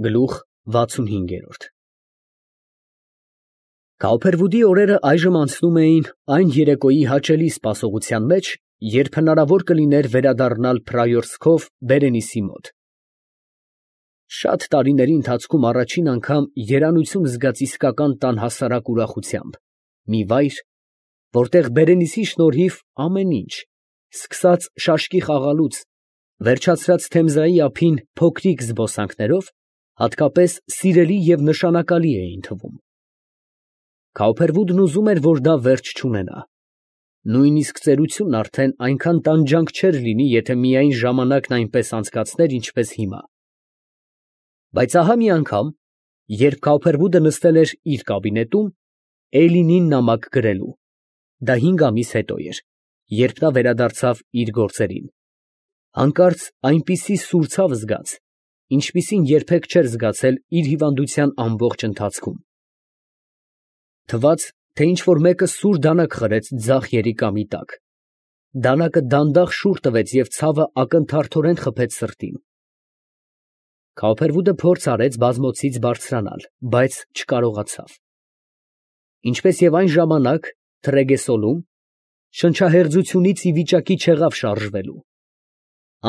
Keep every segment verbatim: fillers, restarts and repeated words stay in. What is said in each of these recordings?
Գլուխ վաթսունհինգ։ Կալփերվուդի օրերը այժմ անցնում էին այն երեկոյի հաճելի սպասողության մեջ, երբ հնարավոր կլիներ վերադառնալ Փրայորսկով Բերենիսի մոտ։ Շատ տարիների ընթացքում առաջին անգամ երանություն զգաց իսկական տան հասարակ ուրախությամբ, մի վայր, որտեղ Բերենիսի շնորհիվ ամեն ինչ, սկսած շաշկի խաղալուց, վերջացրած Թեմզայի ափին փոքրիկ զբոսանքներով, հատկապես սիրելի և նշանակալի էին թվում։ Կալփերվուդն ուզում էր, որ դա վերջ չունենա։ Նույնիսկ ծերությունն արդեն այնքան տանջանք չէր լինի, եթե միայն ժամանակն այնպես անցկացներ, ինչպես հիմա։ Բայց ահա մի անգամ, երբ Կալփերվուդը նստել էր իր կաբինետում, Էյլինին նամակ գրելու, դա հինգ ամիս հետո էր, երբ նա վերադարձավ իր գործերին, հանկարծ այնպիսի սուր ցավ զգաց, ինչպիսին երբեք չէր զգացել իր հիվանդության ամբողջ ընթացքում։ Թվաց, թե ինչ֊որ մեկը սուր դանակ խրեց ձախ երիկամի տակ։ Դանակը դանդաղ շուռ տվեց և ցավը ակնթարթորեն խփեց սրտին։ Կալփերվուդը փորձ արեց բազմոցից բարձրանալ, բայց չկարողացավ։ Ինչպես և այն ժամանակ, Թրեգեսոլում, շնչահեղձությունից ի վիճակի չեղավ շարժվելու։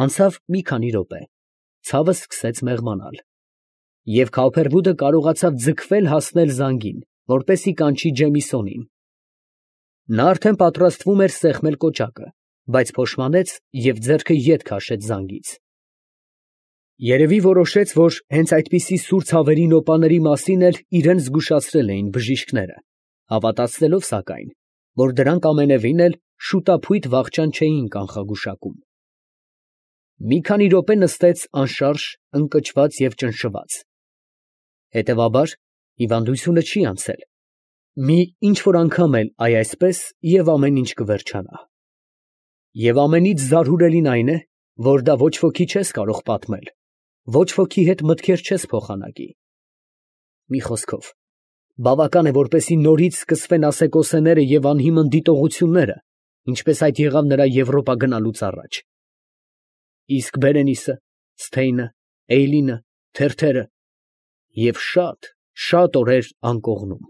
Անցավ մի քանի րոպե, ցավը սկսեց մեղմանալ, և Կալփերվուդը կարողացավ ձգվել հասնել զանգին, որպեսզի կանչի Ջեմիսոնին։ Նա արդեն պատրաստվում էր սեղմել կոճակը, բայց փոշմանեց և ձեռքը ետ քաշեց զանգից։ Երևի որոշեց, որ հենց այդպիսի սուր ցավերի նոպաների մասին էլ իրան զգուշացրել էին բժիշկները, հավատացնելով, սակայն, որ դրանք ամենևին էլ շուտափույթ վախճան չէին կանխագուշակում։ Մի քանի րոպե նստեց անշարժ, ընկճված և ճնշված։ Հետևաբար, հիվանդությունը չի անցել։ Մի ինչ֊որ անգամ էլ այ այսպես, և ամեն ինչ կվերջանա։ Եվ ամենից զարհուրելին այն է, որ դա ոչ ոքի չես կարող պատմել, ոչ ոքի հետ մտքեր չես փոխանակի։ Մի խոսքով, բավական է, որպեսզի նորից սկսվեն ասեկոսեները և անհիմն դիտողությունները, ինչպես այդ եղավ նրա Եվրոպա գնալուց առաջ։ Իսկ Բերենիսը, Սթեյնը, Էյլինը, թերթերը և շատ, շատ օրեր անկողնում։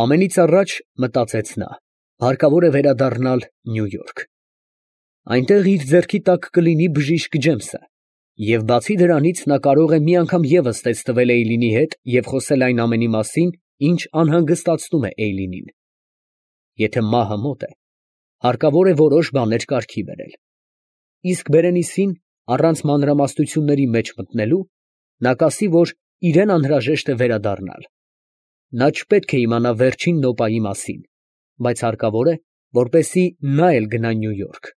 Ամենից առաջ, մտածեց նա, հարկավոր է վերադառնալ Նյու Յորք։ Այնտեղ իր ձեռքի տակ կլինի բժիշկ Ջեմսը, և բացի դրանից, նա կարող է մի անգամ ևս տեսնվել Էյլինի հետ և խոսել այն ամենի մասին, ինչ անհանգստացնում է Էյլինին։ Եթե մահը մոտ է, հարկավոր է որոշ բաներ կարգի բերել։ Իսկ Բերենիսին, առանց մանրամասնությունների մեջ մտնելու, նա կասի, որ իրան անհրաժեշտ է վերադառնալ։ Նա չպետք է իմանա վերջին նոպայի մասին, բայց հարկավոր է, որպեսզի նա էլ գնա Նյու Յորք։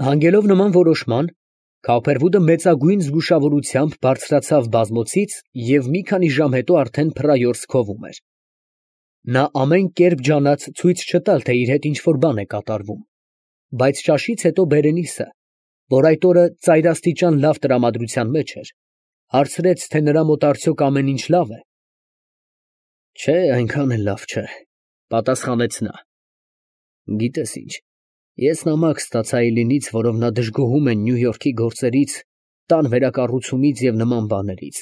Հանգելով նման որոշման, Կալփերվուդը մեծագույն զգուշավորությամբ բարձրացավ բազմոցից և մի քանի ժամ հետո արդեն Փրայորսկովում էր։ Նա ամեն կերպ ջանաց ցույց չտալ, թե իր հետ ինչ֊որ բան է կատարվում, բայց ճաշից հետո Բերենիսը, որ այդ օրը ծայրաստիճան լավ տրամադրության մեջ էր, հարցրեց, թե նրա մոտ արդյոք ամեն ինչ լավ է։ Չէ, այնքան էլ լավ չէ, պատասխանեց նա։ Գիտես ինչ, ես նամակ ստացա Էյլինից, որով նա դժգոհում է Նյու Յորքի գործերից, տան վերակառուցումից և նման բաներից։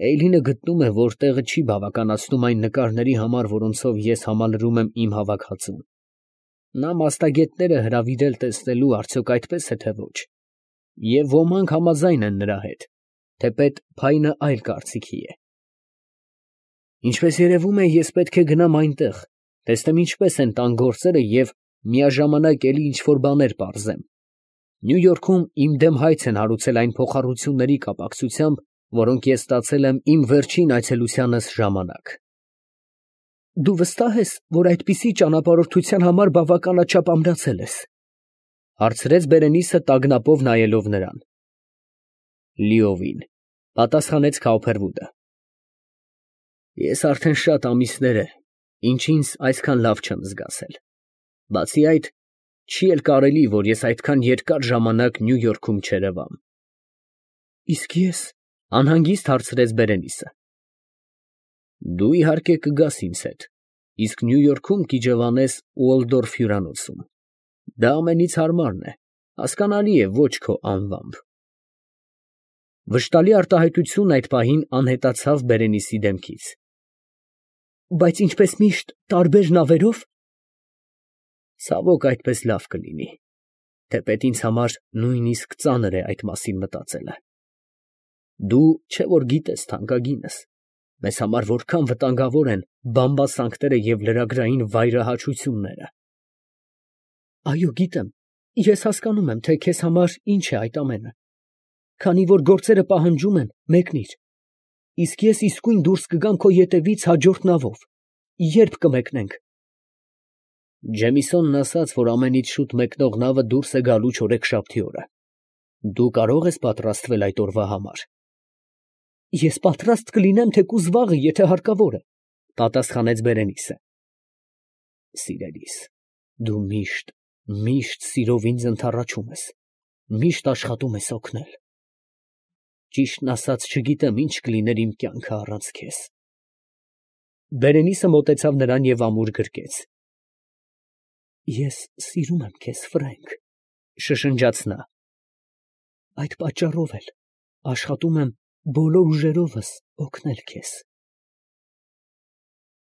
Էյլինը գտնում է, որ տեղը չի բավականացնում այն նկարների համար, որոնցով ես համալրում եմ իմ հավաքածուն։ Նա մասնագետներ է հրավիրել տեսնելու, արդյոք այդպես է, թե ոչ, և ոմանք համաձայն են նրա հետ, թեպետ Փայնը այլ կարծիքի է։ Ինչպես երևում է, ես պետք է գնամ այնտեղ, տեսնեմ ինչպես են տան գործերը և միաժամանակ էլի ինչ֊որ բաներ պարզեմ։ Նյու Յորքում իմ դեմ հայց են հարուցել այն փոխառությունների կապակցությամբ, որոնք ես ստացել եմ իմ վերջին այցելությանս ժամանակ։ Դու վստահ ես, որ այդպիսի ճանապարհորդության համար բավականաչափ ամրացել ես, հարցրեց Բերենիսը տագնապով նայելով նրան։ Լիովին, պատասխանեց Կալփերվուդը։ Ես արդեն շատ ամիսներ է, ինչ ինձ այսքան լավ չեմ զգացել։ Բացի այդ, չի էլ կարելի, որ ես այդքան երկար ժամանակ Նյու Յորքում չերևամ։ Իսկ ես, անհանգիստ հարցրեց Բերենիսը։ Դու իհարկե կգաս ինձ հետ, իսկ Նյու Յորքում կիջևանես Ուոլդորֆ հյուրանոցում։ Դա ամենից հարմարն է, հասկանալի է, ոչ քո անվամբ։ Վշտալի արտահայտությունն այդ պահին անհետացավ Բերենիսի դեմքից։ Բայց ինչպես միշտ տարբեր նավերով։ Ցավոք այդպես լավ կլինի, թեպետ ինձ համար նույնիսկ ծանր է այդ մասին մտածելը։ Դու չէ որ գիտես, թանկագինս, մեզ համար որքան վտանգավոր են բամբասանքները և լրագրային վայրահաչությունները։ Այո, գիտեմ, ես հասկանում եմ, թե քեզ համար ինչ է այդ ամենը, քանի որ գործերը պահանջում են մեկնիր, իսկ ես իսկույն դուրս կգամ քո ետևից հաջորդ նավով, երբ կմեկնենք։ Ջեմիսոնն ասաց, որ ամենից շուտ մեկնող նավը դուրս է գալու չորեքշաբթի օրը։ Դու կարող ես պատրաստվել այդ օրվա համար։ Ես պատրաստ կլինեմ թեկուզ վաղը, եթե հարկավոր է, պատասխանեց Բերենիսը։ Սիրելիս, դու միշտ, միշտ սիրով ինձ ընդառաջում ես, միշտ աշխատում ես օգնել։ Ճիշտն ասած, չգիտեմ ինչ կլիներ իմ կյանքը առանց քեզ։ Բերենիսը մոտեցավ նրան և ամուր գրկեց։ Ես սիրում եմ քեզ, Ֆրենկ, շշնջաց նա։ Այդ պատճառով էլ աշխատում եմ բոլոր ուժերովս օգնել քեզ։